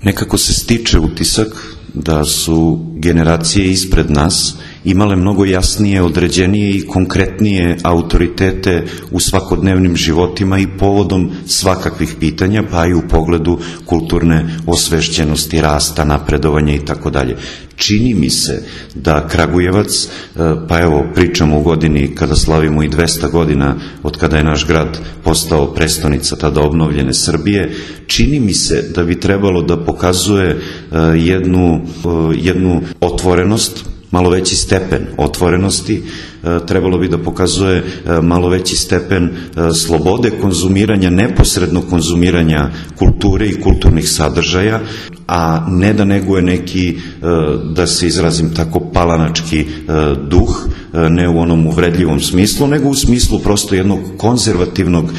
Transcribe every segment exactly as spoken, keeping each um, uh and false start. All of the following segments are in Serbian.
Nekako se stiče utisak da su generacije ispred nas imale mnogo jasnije, određenije i konkretnije autoritete u svakodnevnim životima i povodom svakakvih pitanja, pa i u pogledu kulturne osvešćenosti, rasta, napredovanja i tako dalje. Čini mi se da Kragujevac, pa evo pričamo u godini kada slavimo i dvesta godina od kada je naš grad postao prestonica tada obnovljene Srbije, čini mi se da bi trebalo da pokazuje jednu, jednu otvorenost, malo veći stepen otvorenosti, trebalo bi da pokazuje malo veći stepen slobode konzumiranja, neposrednog konzumiranja kulture i kulturnih sadržaja, a ne da neguje neki, da se izrazim tako, palanački duh, ne u onom uvredljivom smislu, nego u smislu prosto jednog konzervativnog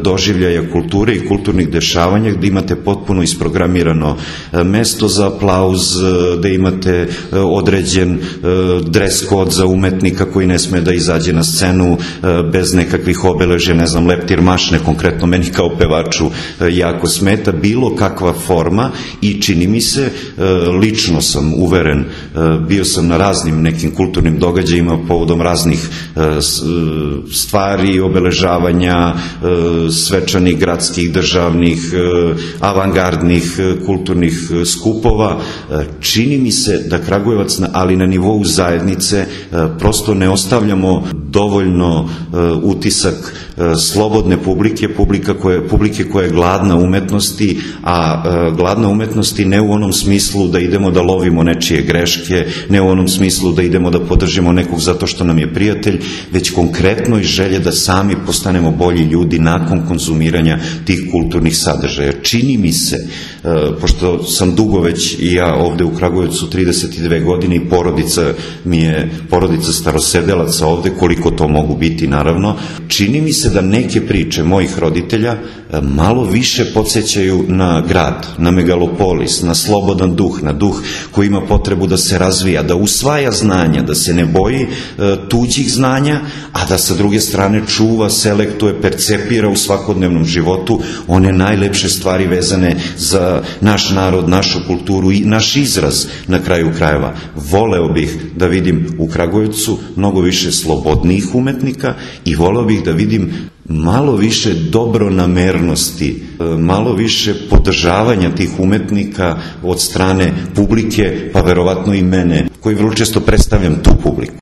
doživljaja kulture i kulturnih dešavanja, gde imate potpuno isprogramirano mesto za aplauz, gde imate određen dres kod za umetnika koji ne sme da izađe na scenu bez nekakvih obeležja, ne znam, leptir mašne, konkretno meni kao pevaču jako smeta bilo kakva forma i čini mi se, lično sam uveren, bio sam na raznim nekim kulturnim događajima povodom raznih stvari, obeležavanja, svečanih, gradskih, državnih, avangardnih, kulturnih skupova. Čini mi se da Kragujevac, ali na nivou zajednice, prosto ne ostavljamo dovoljno utisak slobodne publike, publike koja je gladna umetnosti, a gladna umetnosti ne u onom smislu da idemo da lovimo nečije greške, ne u onom smislu da idemo da podržimo nekog zato što nam je prijatelj, već konkretno i želje da sami postanemo bolji ljudi nakon konzumiranja tih kulturnih sadržaja. Čini mi se, pošto sam dugo već i ja ovde u Kragujevcu trideset dve godine i porodica mi je porodica starosedelaca ovde, koliko to mogu biti naravno, čini mi se da neke priče mojih roditelja malo više podsjećaju na grad, na megalopolis, na slobodan duh, na duh koji ima potrebu da se razvija, da usvaja znanja, da se ne boji tuđih znanja, a da sa druge strane čuva, selektuje, percepira u svakodnevnom životu one najlepše stvari vezane za naš narod, našu kulturu i naš izraz na kraju krajeva. Voleo bih da vidim u Kragujevcu mnogo više slobodnijih umetnika i voleo bih da vidim malo više dobronamernosti, malo više podržavanja tih umetnika od strane publike, pa verovatno i mene, koji vrlo često predstavljam tu publiku.